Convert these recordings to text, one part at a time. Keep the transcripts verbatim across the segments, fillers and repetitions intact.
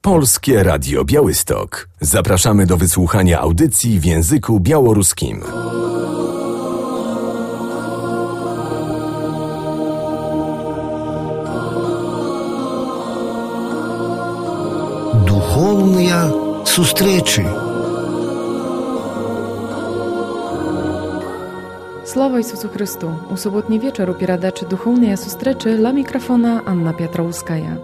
Polskie Radio Białystok. Zapraszamy do wysłuchania audycji w języku białoruskim. Духовные встречи. Слава Ісусу Христу! У суботній вечір у передачі «Духовні зустрічі» ла мікрофона Анна Петровская.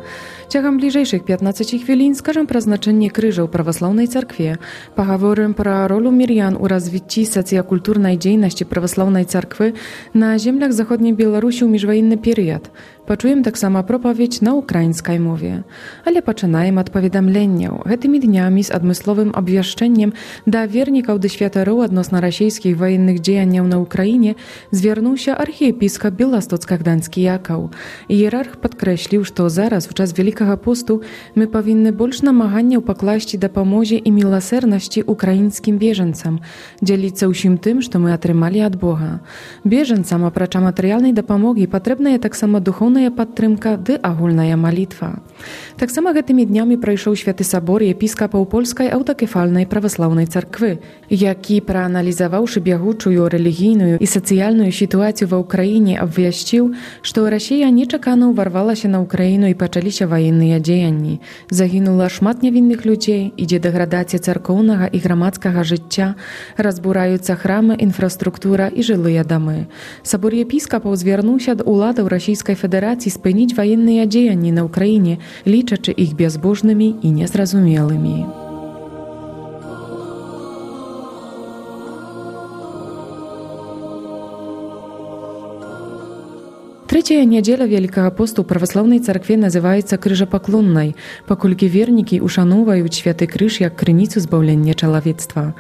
Ciągiem bliżejszych piętnastu chwilin skażem про znaczenie krzyża w prawosławnej cerkwie, poговорим про rolę Mirian u rozwitci socjokulturnej działalności prawosławnej cerkwy na ziemiach zachodniej Białorusi w międzywojenny period. Poczujem tak samo propowiedź na ukraińskiej mowie. Ale poczynajmy od powiadomienia. Tymi dniami z odmysłowym obwieszczeniem dla wierników do światoru odnośnie rosyjskich wojennych działań na Ukrainie zwierzył się archiepiskop białostocko-gdański Jakał. Hierarch podkreślił, że zaraz w czas Wielkiego Postu my powinny больше намагання покласти do pomocy i miłosierności ukraińskim bieżeńcom, dzielić się усім tym, co my otrzymali od Boga. Bieżeńcom oprócz materialnej dopomogi potrzebna jest tak samo duchowna podtrzymka i ogólna modlitwa. Tak samo tymi dniami przejrzał Święty Sobór episkopów Polskiej Autokefalnej Prawosławnej Cerkwy, jaki przeanalizowawszy bieżącą religijną i socjalną sytuację w Ukrainie, obwieszczył, że Rosja nieczekano warwała się na Ukrainę i zaczęli się wojenne działania. Zaginęło szmat niewinnych ludzi, idzie degradacja cerkownego i gromadzkiego życia, rozburająca chramy, infrastruktura i żyłe domy. Sobór episkopów zwrócił się do władzy Rosyjskiej Federacji spełnić wojenne działania na Ukrainie, licząc ich bezbożnymi i niezrozumiałymi. Trzecia niedziela Wielkiego Postu prawosławnej cerkwie nazywa się Krzyżopoklonnej, pokolki wierniki uszanowują Święty Krzyż jak krynicę zbawienia człowiectwa.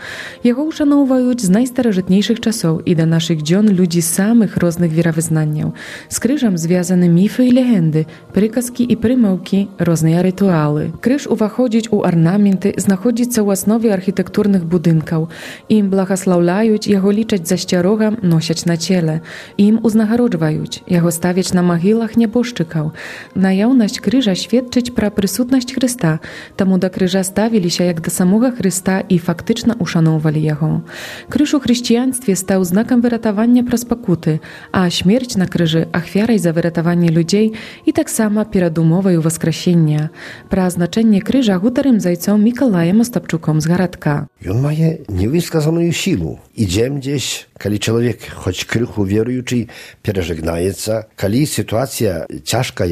Jego uszanowują z najstarożytniejszych czasów i do naszych dzień ludzi samych różnych wierowyznaniów. Z krzyżem związane mify i legendy, przykaski i przymałki, różne rytuały. Krzyż uwachodzić u ornamenty, znachodzić się w osnowie architekturnych budynków. Im błogosławiają, jego liczyć za ścierogam, nosić na ciele. Im uznagrodzwają, jego stawiać na mogilach nieboszczykał. Najawność krzyża świadczyć pro przysutność Chrysta, temu do krzyża stawili się jak do samego Chrysta i faktycznie uszanowali Jego. Krzyż u chrześcijaństwie stał znakiem wyratowania przez pokuty, a śmierć na krzyży ofiarą za wyratowanie ludzi i tak samo pieradumową woskrzesienia. Pro znaczenie krzyża gutarym zajcą Mikołajem Ostapczukom z Garadka. On ma niewyskazaną siłę. Idziemy gdzieś, kiedy człowiek, choć krychu wierujący, przeżegnaje się, kiedy sytuacja ciężka,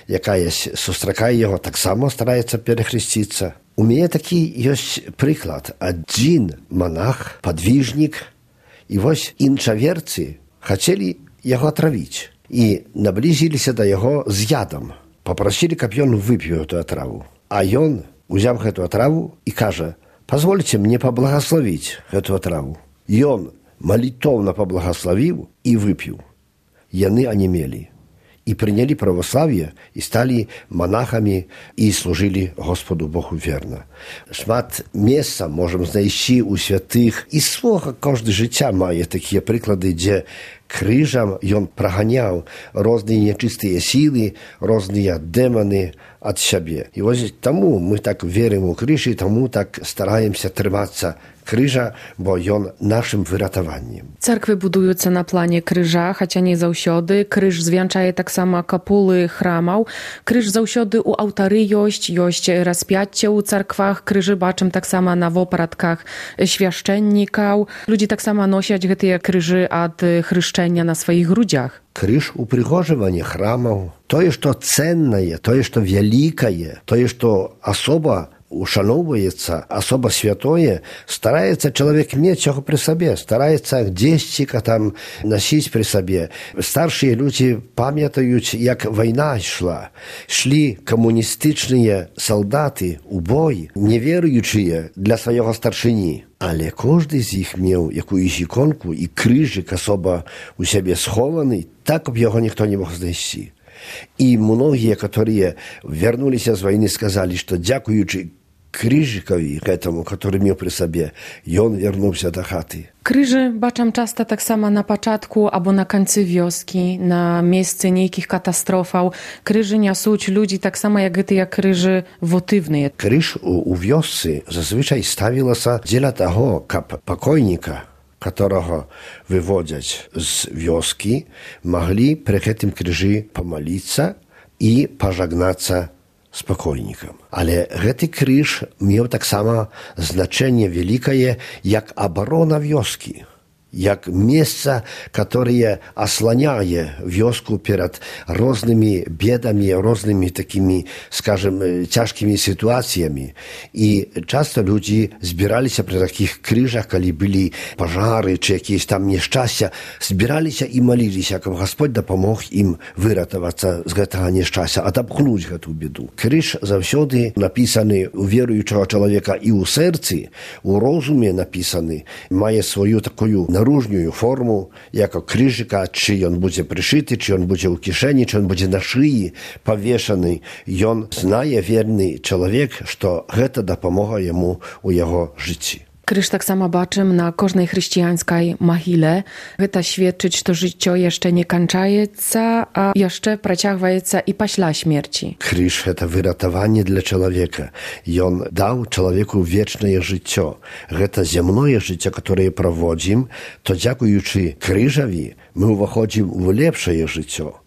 jaka jest, sustrakaje jego, tak samo staraje się przechryścić. U mnie taki jest przykład. Один monach, podwiżnik i właśnie inczawiercy chcieli jego trawić i nabliżyli się do jego z jadem. Poprosili, aby on wypił tę trawę. A on wziął tę trawę i każe: pozwólcie mnie pobłogosławić tę trawę. I on молитовно поблагословил и выпил. Яны онемели. И приняли православие, и стали монахами, и служили Господу Богу верно. Шмат места можем знайти у святых. И свого каждое життя має такі приклади, де крижем он прогонял разные нечистые силы, разные демоны от себя. И вот тому мы так верим у крижа, и тому так стараемся триматься krzyża, bo on naszym wyratowaniem. Cerkwy budują się na planie krzyża, chociaż nie zawsiody. Krzyż zwieńczaje tak samo kapuły chramów. Krzyż zawsiody u ołtarzy jest, jest rozpięcie u cerkwach. Krzyży baczym tak samo na wopratkach świaszczenników. Ludzie tak samo nosić te krzyży od chryszczenia na swoich grudziach. Krzyż uprzygorzenie chramów, to jest to cenne, to jest to wielkie, to jest to osoba uszanowuється, особо святое, старается человек иметь его при себе, старается гдесьчика там носить при себе. Старшие люди пам'ятають, як війна йшла. Шли комуністичні солдати у бой, невіруючі для свого старшини. Але кожен з їх мав якусь іконку і крижик особо у себе схований, так, щоб його ніхто не мог знайти. И многие, которые вернулись с войны, сказали, что дякуючи крыжыкові гэтаму, который меў пры сабе, ён вярнуўся да хаты. Крыжы бачам часта таксама на пачатку або на канцы вёскі, на месцы нейкіх катастрофаў. Крыжы нясуць людзі таксама, як гэтыя крыжы вотыўныя. Крыж у, у вёсцы зазвычай ставілася дзеля таго, каб пакойніка, которого выводзяць з вёскі, маглі пры гэтым крыжы памаліцца і пажагнацца з пакойнікам. Але гэты крыж меў таксама значэнне вялікае як абарона вёскі, як месца, которое осланяе вёску перад рознымі бедамі, рознымі такімі, скажем, цяжкімі сітуацыямі. І часто людзі збіраліся пры такіх крыжах, калі былі пажары ці якісь там няшчасця, збіраліся і маліліся, каб Гасподь дапамог ім выратавацца з гэтага няшчасця, адапхнуць гэту беду. Крыж заўсёды напісаны у веруючага чалавека і ў сэрцы, у розуме напісаны, мае сваю такую наружную форму, як крыжыка, чи ён будзе прышыты, чи ён будзе ў кішэні, чи ён будзе на шыі павешаны. Ён знае верны чалавек, што гэта дапамога яму ў яго жыцці. Крыж таксама бачым на кожнай хрысціянскай магіле. Гэта сведчыць, што жыццё яшчэ не канчаецца, а яшчэ працягваецца і пасля смерці. Крыж – гэта выратаванне для чалавека. Ён даў чалавеку вечнае жыццё. Гэта зямное жыццё, которое праводзім, то дзякуючы крыжаві мы ўваходзім у лепшае жыццё.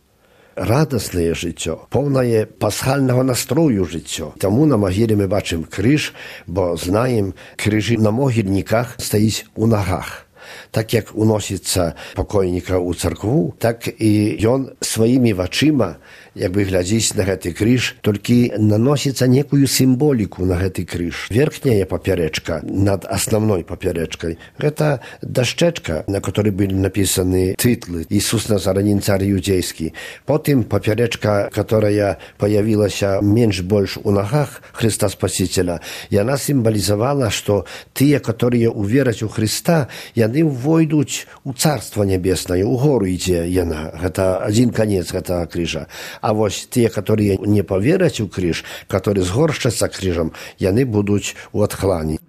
Радаснае жыццё, поўнае пасхальнага настрою жыццё. Таму на магіле мы бачым крыж, бо знаем, крыжы на могільніках стаіць у нагах. Так як уносіцца пакойніка ў царкву, так і ён сваімі вачыма, як бы глядзіць на гэты крыж, толькі наносіцца некую сімволіку на гэты крыж. Верхняя папярэчка над асноўной папярэчкай – гэта дашчэчка, на которой былі напісаны тытлы «Ісус Назаранін, цар юдзейскі». Потым папярэчка, которая появілася менш-больш у нагах Христа Спасителя, яна сімвалізавала, што тыя, которые увераць у Христа, яны войдуць у Царство Небеснае, у гору ідзе яна. Гэта адзін канец гэтага крыжа. А вось тыя, которые не повераць у крыж, которые згоршчацца крыжам, яны будуць у адхлані.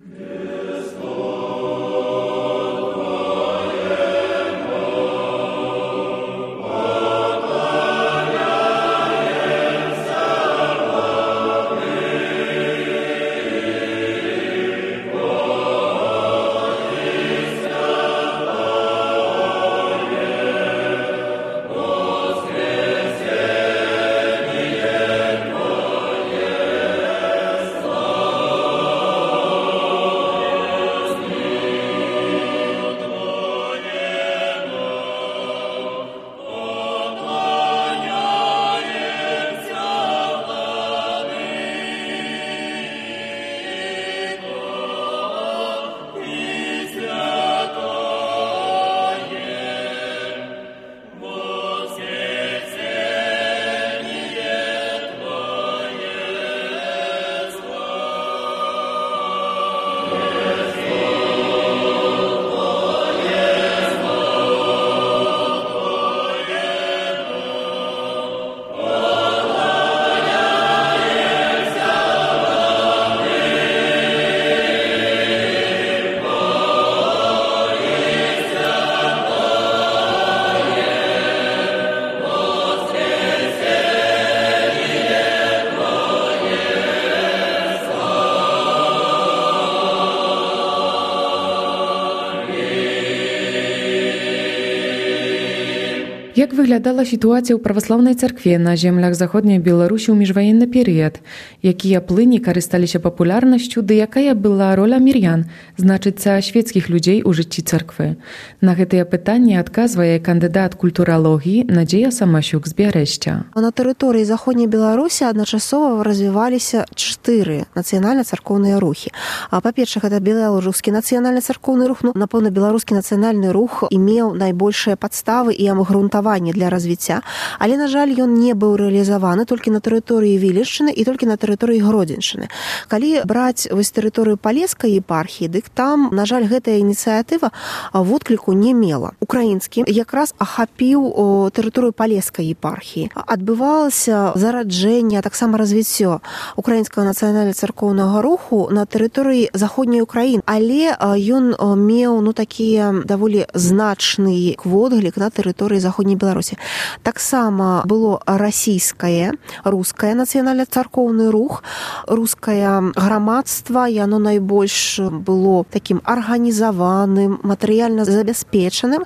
Як выглядала сітуацыя ў праваслаўнай царкве на землях заходняй Беларусі ў міжваенны перыяд? Якія плыні карысталіся папулярнасцю, ды якая была роля мір'ян, значыцца, свецкіх людзей у жыцці царквы? На гэтыя пытанні адказвае кандыдат культуралогіі Надзея Самасюк з Бярэшця. На тэрыторыі заходняй Беларусі адначасова развіваліся чатыры нацыянальна-царкоўныя рухі. А па-першае, гэта беларускі нацыянальна-царкоўны рух. Ну, напэўна, беларускі нацыянальны рух імеў найбольшыя падставы і абгрунтаванне фінансаванне для развіцця, але, на жаль, ён не быў рэалізаваны толькі на тэрыторыі Віліччыны і толькі на тэрыторыі Гродзеншчыны. Калі браць вось тэрыторыю Палескай епархіі, дык там, на жаль, гэтая ініцыятыва водкліку не мела. Украінскі якраз ахапіў тэрыторыю Палескай епархіі. Адбывалася зараджэнне, таксама развіццё украінскага нацыянальна-царкоўнага руху на тэрыторыі заходняй Украіны, але ён меў ну такія даволі значны водглік на тэрыторыі заходняй Беларусі. Таксама было расійскае, рускае нацыянальна-царкоўны рух, рускае грамадства, яно найбольш было такім арганізаваным, матэрыяльна забяспечаным,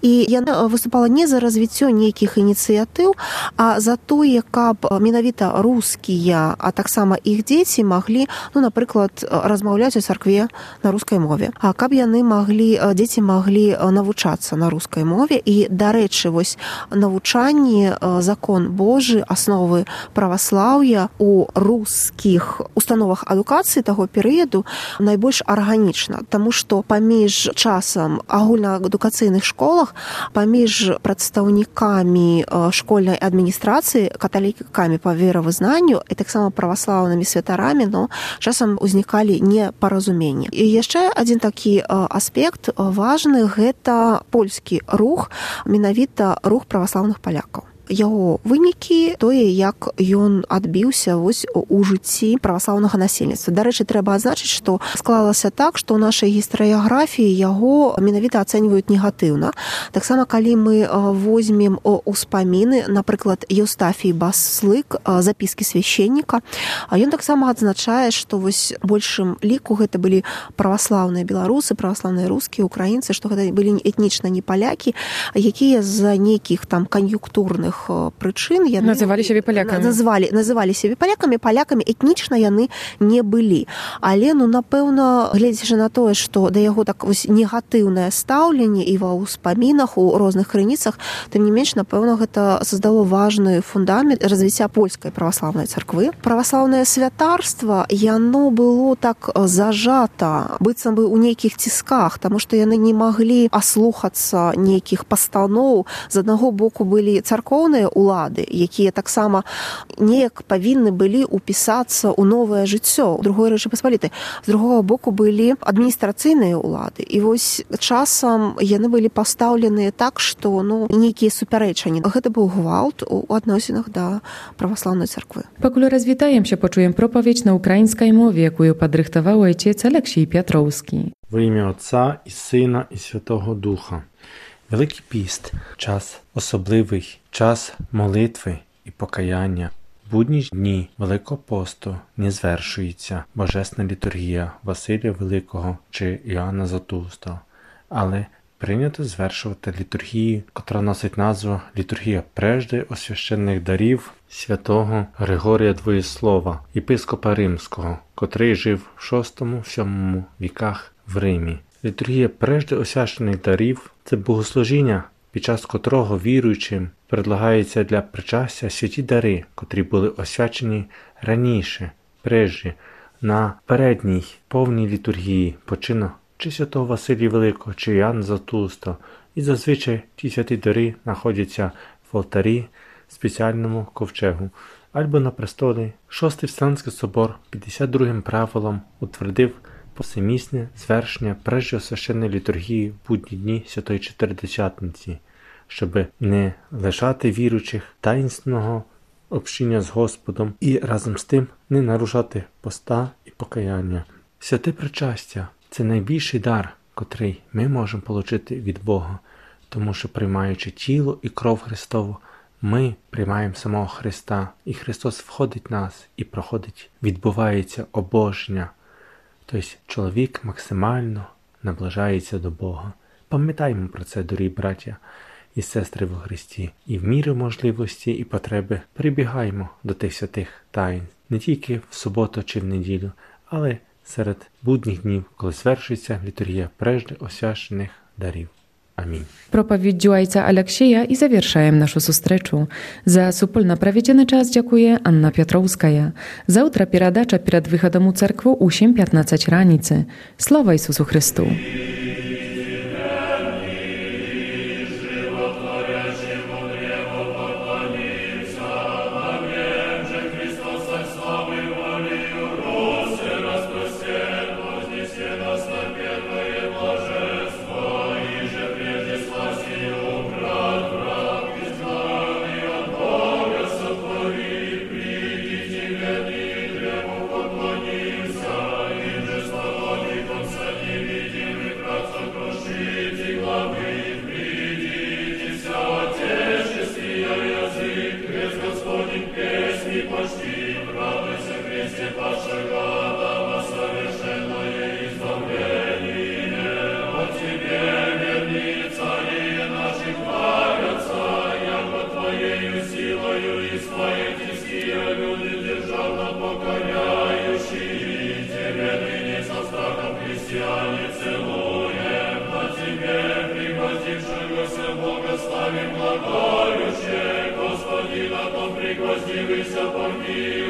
і яно выступала не за развіццё нейкіх ініцыятыў, а за тое, каб менавіта рускія, а таксама іх дзеці маглі, ну, напрыклад, размаўляць у царкве на рускай мове. А каб яны маглі, дзеці маглі навучацца на рускай мове. І, дарэчы, вось навучанне, закон Божы, асновы праваслаўя у рускіх установах адукацыі таго перыяду найбольш арганічна, таму што паміж часам агульнаадукацыйных школах, паміж прадстаўнікамі школьнай адміністрацыі, каталікамі па веравызнанню і таксама праваслаўнымі святарамі, но часам узнікалі непаразуменні. І яшчэ адзін такі аспект важны – гэта польскі рух, менавіта рух праваслаўных палякаў. Яго вынікі, тое, як ён адбіўся вось у жыцці праваслаўнага насельніцтва. Дарэчы, трэба адзначыць, што склалася так, што ў нашай гістарыяграфіі яго менавіта ацэньваюць негатыўна. Таксама, калі мы возьмем успаміны, напрыклад, Еўстафій Баслык, запіскі свяшчэнніка, ён таксама адзначае, што вось большым ліку гэта былі праваслаўныя беларусы, праваслаўныя рускія, украінцы, што гэта былі этнічна не палякі, якія з-за нейкіх там кан'юнктурных прычын яны называлі сябе палякамі. Называлі, называлі сябе палякамі, палякамі этнічна яны не былі. Але, ну, напэўна, гледзячы на тое, што да яго так вось негатыўнае стаўленне і ва ўспамінах, у розных крыніцах, тым не менш, напэўна, гэта создало важны фундамент развіцця польскай праваслаўнай царквы. Праваслаўнае святарства, яно было так зажата, быццам бы у нейкіх цісках, таму што яны не маглі аслухацца нейкіх пастаноў. З аднаго боку былі царкоўныя улады, якія таксама неяк павінны былі упісацца ў новае жыццё другой Рэчы Паспалітай. З другога боку былі адміністрацыйныя улады. І вось часам яны былі пастаўленыя так, што ну, нейкія супярэчанні. Гэта быў гвалт у адносінах да праваслаўнай царквы. Пакуль развітаемся, пачуем пропаведь на украінскай мове, якую падрыхтаваў айцец Алексій Пятроўскі. Во ім'я Отця і Сина і Святого Духа. Великий піст – час особливий, час молитви і покаяння. Будні дні Великого посту не звершується Божесна літургія Василія Великого чи Іоанна Златоуста, але прийнято звершувати літургію, котра носить назву «Літургія прежде освященних дарів святого Григорія Двоєслова, єпископа Римського, котрий жив в шостому-сьомому віках в Римі». Літургія прежде освящених дарів – це богослужіння, під час котрого віруючим предлагаються для причастя святі дари, котрі були освячені раніше, прежде, на передній повній літургії почину чи святого Василія Великого, чи Іоанна Златоуста. І зазвичай ті святі дари знаходяться в алтарі, спеціальному ковчегу, або на престолі. Шостий Вселенський собор п'ятдесят другим правилом утвердив повсемісне звершення прежде священної літургії в будні дні Святої Чотиридесятниці, щоби не лишати віруючих таїнственного общення з Господом і разом з тим не нарушати поста і покаяння. Святе причастя – це найбільший дар, котрий ми можемо отримати від Бога, тому що, приймаючи тіло і кров Христову, ми приймаємо самого Христа, і Христос входить в нас і проходить, відбувається обожнення. Тобто чоловік максимально наближається до Бога. Пам'ятаємо про це, дорогі браття і сестри во Христі. І в міру можливості і потреби прибігаємо до тих святих таїн. Не тільки в суботу чи в неділю, але серед будніх днів, коли звершується літургія прежде освящених дарів. Амінь. Пропаведдзю айца Алексія і завяршаем нашу сустрэчу. За супольна праведзены час дзякуе Анна Пятроўская. Заўтра перадача перад выхадам у царкву ў сем пятнаццаць раніцы. Слава Ісусу Христу! Животворящему Благающее, Господи, на том пригвоздивайся, помилуй.